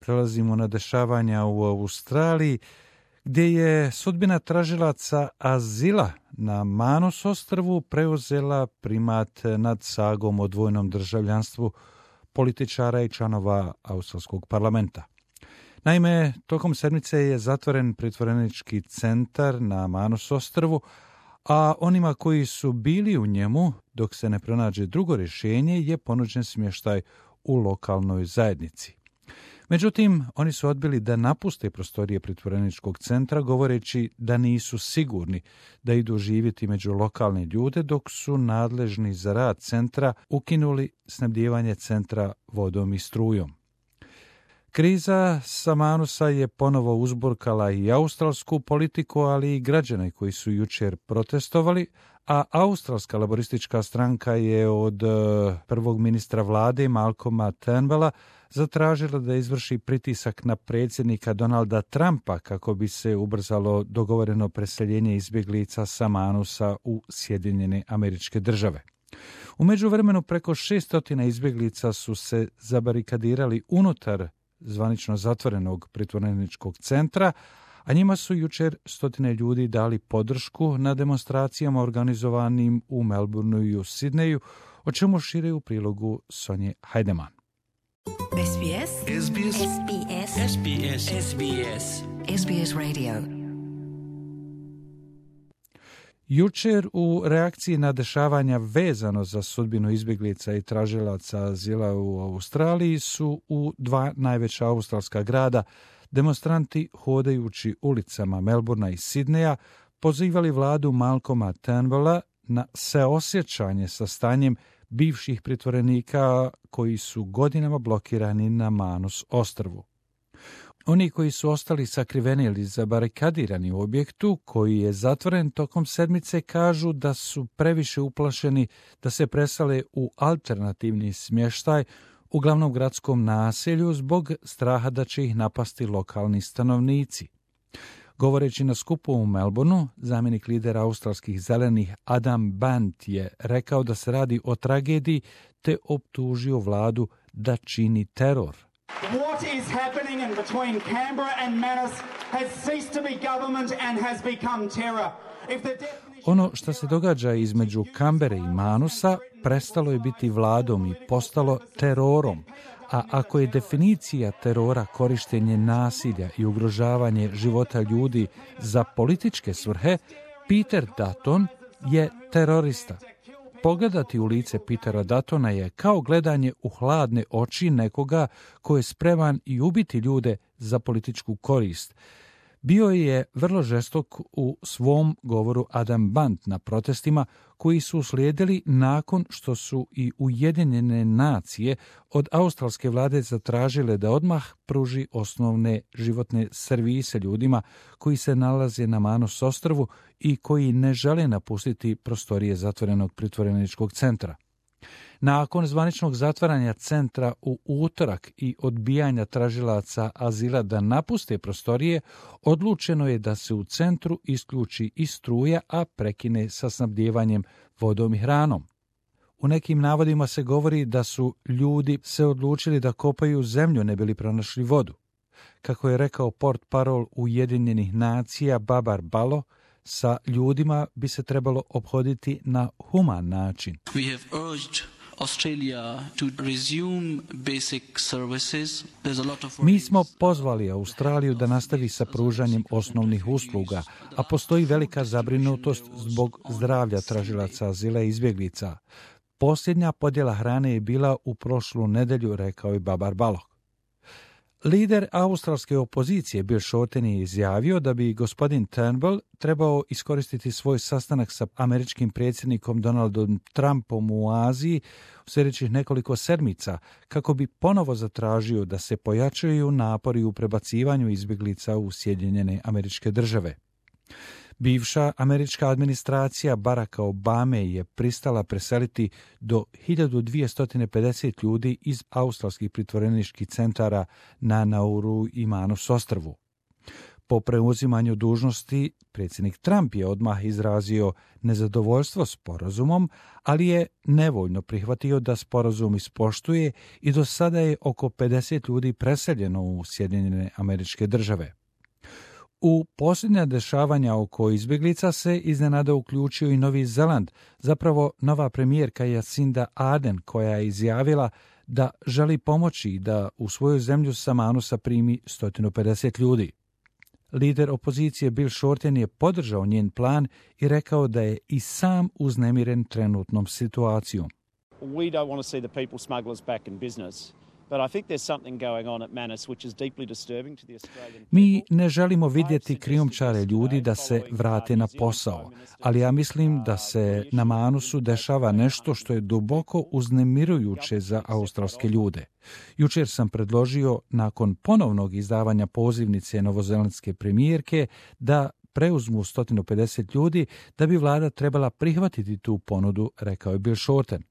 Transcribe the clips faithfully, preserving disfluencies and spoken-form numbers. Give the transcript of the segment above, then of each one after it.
Prelazimo na dešavanja u Australiji, gdje je sudbina tražilaca azila na Manus ostrvu preuzela primat nad sagom o dvojnom državljanstvu političara i članova australskog parlamenta. Naime, tokom sedmice je zatvoren pritvorenički centar na Manus ostrvu, a onima koji su bili u njemu, dok se ne pronađe drugo rješenje, je ponuđen smještaj u lokalnoj zajednici. Međutim, oni su odbili da napuste prostorije pritvoreničkog centra, govoreći da nisu sigurni da idu živjeti među lokalne ljude, dok su nadležni za rad centra ukinuli snabdijevanje centra vodom i strujom. Kriza sa Manusa je ponovo uzburkala i australsku politiku, ali i građane koji su jučer protestovali, a australska laboristička stranka je od prvog ministra vlade Malcolma Turnbulla zatražila da izvrši pritisak na predsjednika Donalda Trumpa kako bi se ubrzalo dogovoreno preseljenje izbjeglica sa Manusa u Sjedinjene Američke Države. U međuvremenu preko šestotina izbjeglica su se zabarikadirali unutar zvanično zatvorenog pritvoreničkog centra, a njima su jučer stotine ljudi dali podršku na demonstracijama organizovanim u Melbourneu i u Sidneju, o čemu šire u prilogu Sonje Hajdeman. S B S S B S S B S S B S S B S S B S Radio. Jučer u reakciji na dešavanja vezano za sudbinu izbjeglica i tražilaca azila u Australiji su u dva najveća australska grada demonstranti hodajući ulicama Melbournea i Sidneja pozivali vladu Malcolma Turnbulla na seosjećanje sa stanjem bivših pritvorenika koji su godinama blokirani na Manus ostrvu. Oni koji su ostali sakriveni ili zabarikadirani u objektu koji je zatvoren tokom sedmice kažu da su previše uplašeni da se presale u alternativni smještaj u glavnom gradskom naselju zbog straha da će ih napasti lokalni stanovnici. Govoreći na skupu u Melbourneu, zamjenik lidera australskih zelenih Adam Bant je rekao da se radi o tragediji te optužio vladu da čini teror. What is happening in between Canberra and Manus has ceased to be government and has become terror. If the definition... Ono što se događa između Canberre i Manusa prestalo je biti vladom i postalo terorom, a ako je definicija terora korištenje nasilja i ugrožavanje života ljudi za političke svrhe, Peter Dutton je terorista. Pogledati u lice Petera Duttona je kao gledanje u hladne oči nekoga ko je spreman i ubiti ljude za političku korist. Bio je vrlo žestok u svom govoru Adam Bant na protestima koji su uslijedili nakon što su i Ujedinjene nacije od australske vlade zatražile da odmah pruži osnovne životne servise ljudima koji se nalaze na Manus ostrvu i koji ne žele napustiti prostorije zatvorenog pritvoreničkog centra. Nakon zvaničnog zatvaranja centra u utorak i odbijanja tražilaca azila da napuste prostorije, odlučeno je da se u centru isključi i struja, a prekine sa snabdijevanjem vodom i hranom. U nekim navodima se govori da su ljudi se odlučili da kopaju zemlju ne bi li pronašli vodu. Kako je rekao portparol Ujedinjenih nacija Babar Balo, sa ljudima bi se trebalo ophoditi na human način. We have urged Australia to resume basic services. There's a lot of... Mi smo pozvali Australiju da nastavi sa pružanjem osnovnih usluga, a postoji velika zabrinutost zbog zdravlja tražilaca azila i izbjeglica. Posljednja podjela hrane je bila u prošlu nedjelju, rekao je Babar Balog. Lider australske opozicije Bill Shorten je izjavio da bi gospodin Turnbull trebao iskoristiti svoj sastanak sa američkim predsjednikom Donaldom Trumpom u Aziji u sljedećih nekoliko sedmica kako bi ponovo zatražio da se pojačaju napori u prebacivanju izbjeglica u Sjedinjene Američke Države. Bivša američka administracija Baracka Obame je pristala preseliti do hiljadu dvjesto pedeset ljudi iz australskih pritvoreničkih centara na Nauru i Manus ostrvu. Po preuzimanju dužnosti, predsjednik Trump je odmah izrazio nezadovoljstvo sporazumom, ali je nevoljno prihvatio da sporazum ispoštuje i do sada je oko pedeset ljudi preseljeno u Sjedinjene Američke Države. U posljednja dešavanja oko izbjeglica se iznenada uključio i Novi Zeland, zapravo nova premijerka Jacinda Ardern, koja je izjavila da želi pomoći da u svoju zemlju sa Manusa primi sto pedeset ljudi. Lider opozicije Bill Shorten je podržao njen plan i rekao da je i sam uznemiren trenutnom situacijom. We don't want to see the people smugglers back in business. But I think there's something going on at Manus which is deeply disturbing to the Australian people. Mi ne želimo vidjeti krijumčare ljudi da se vrate na posao, ali ja mislim da se na Manusu dešava nešto što je duboko uznemirujuće za australske ljude. Jučer sam predložio, nakon ponovnog izdavanja pozivnice novozelandske premijerke, da preuzmu sto pedeset ljudi, da bi vlada trebala prihvatiti tu ponudu, rekao je Bill Shorten.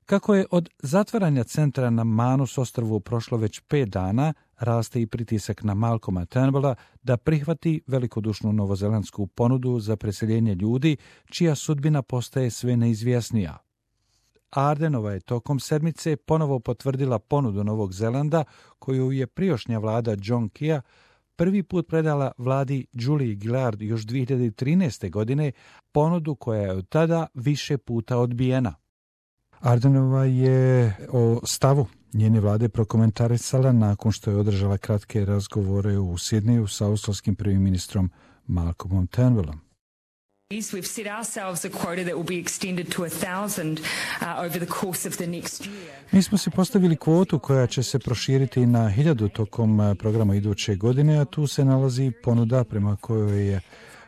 Kako je od zatvaranja centra na Manus ostrvu prošlo već pet dana, raste i pritisak na Malcolma Turnbulla da prihvati velikodušnu novozelandsku ponudu za preseljenje ljudi, čija sudbina postaje sve neizvjesnija. Ardenova je tokom sedmice ponovo potvrdila ponudu Novog Zelanda, koju je prijašnja vlada John Keya prvi put predala vladi Julie Gillard još dvije hiljade trinaeste. godine, ponudu koja je od tada više puta odbijena. Ardenova je o stavu njene vlade prokomentarisala nakon što je održala kratke razgovore u Sidneju sa australskim prvim ministrom Malcolmom Turnbullom. We've set ourselves a quota that will be extended to a thousand uh, over the course of the next year. Mi smo si postavili kvotu koja će se proširiti na hiljadu tokom programa iduće godine, a tu se nalazi ponuda prema kojoj je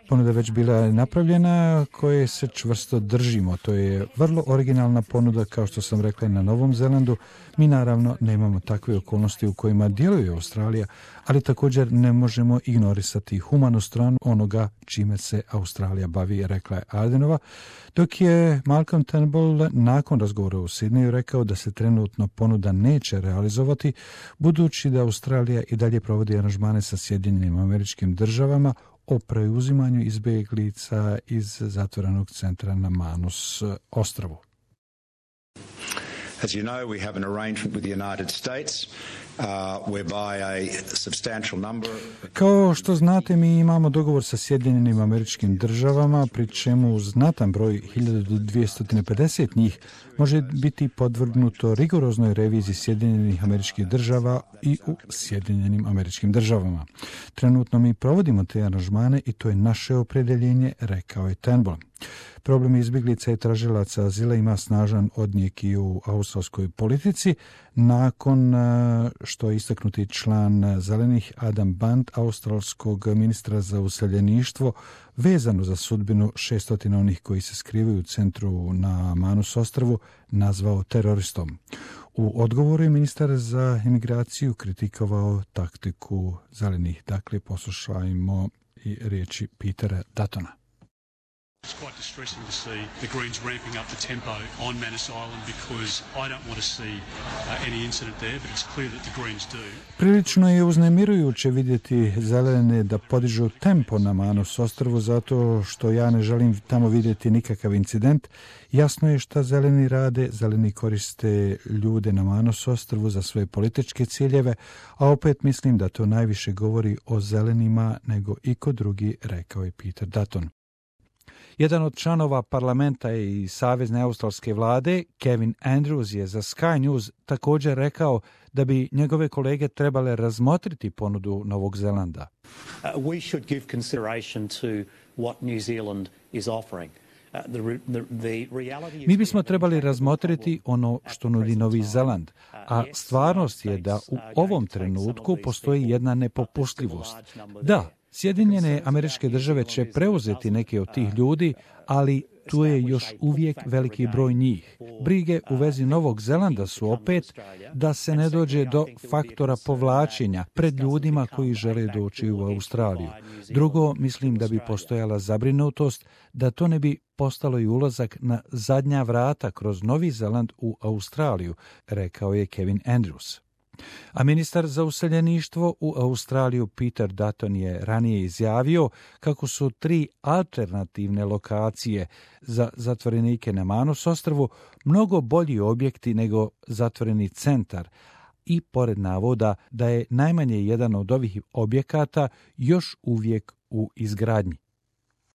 ponuda već bila napravljena, koje se čvrsto držimo. To je vrlo originalna ponuda, kao što sam rekla, na Novom Zelandu. Mi naravno nemamo takve okolnosti u kojima djeluje Australija, ali također ne možemo ignorisati humanu stranu onoga čime se Australija bavi, rekla je Ardenova, dok je Malcolm Turnbull nakon razgovora u Sidneju rekao da se trenutno ponuda neće realizovati, budući da Australija i dalje provodi aranžmane sa Sjedinjenim Američkim Državama o preuzimanju izbjeglica iz zatvorenog centra na Manus ostrvu. As you know, we have an arrangement with the United States uh, whereby a substantial number... Kao što znate, mi imamo dogovor sa Sjedinjenim Američkim Državama, pri čemu znatan broj hiljadu do dvjesto pedeset njih može biti podvrgnuto rigoroznoj reviziji Sjedinjenih Američkih Država i u Sjedinjenim Američkim Državama. Trenutno mi provodimo te aranžmane i to je naše opredjeljenje, rekao je Turnbull. Problem izbjeglica i tražilaca azila ima snažan odjek i u australskoj politici, nakon što je istaknuti član Zelenih Adam Band, australskog ministra za useljeništvo, vezano za sudbinu šeststotina onih koji se skrivaju u centru na Manus ostrvu, nazvao teroristom. U odgovoru je ministar za imigraciju kritikovao taktiku Zelenih. Dakle, poslušajmo i riječi Petera Duttona. It's quite distressing to see the Greens ramping up the tempo on Manus Island because I don't want to see uh, any incident there, but it's clear that the Greens do. Prilično je uznemirujuće vidjeti zelene da podižu tempo na Manus ostrvu zato što ja ne želim tamo vidjeti nikakav incident. Jasno je šta zeleni rade, zeleni koriste ljude na Manus ostrvu za svoje političke ciljeve, a opet mislim da to najviše govori o zelenima nego iko drugi, rekao je Peter Dutton. Jedan od članova parlamenta i savezne australske vlade, Kevin Andrews, je za Sky News također rekao da bi njegove kolege trebale razmotriti ponudu Novog Zelanda. Uh, we should give consideration to what New Zealand is offering. Mi bismo trebali razmotriti ono što nudi Novi Zeland, a stvarnost je da u ovom trenutku postoji jedna nepopustljivost. Da, Sjedinjene Američke Države će preuzeti neke od tih ljudi, ali tu je još uvijek veliki broj njih. Brige u vezi Novog Zelanda su opet da se ne dođe do faktora povlačenja pred ljudima koji žele doći u Australiju. Drugo, mislim da bi postojala zabrinutost da to ne bi postalo i ulazak na zadnja vrata kroz Novi Zeland u Australiju, rekao je Kevin Andrews. A ministar za useljeništvo u Australiju Peter Dutton je ranije izjavio kako su tri alternativne lokacije za zatvorenike na Manus ostrvu mnogo bolji objekti nego zatvoreni centar, i pored navoda da je najmanje jedan od ovih objekata još uvijek u izgradnji.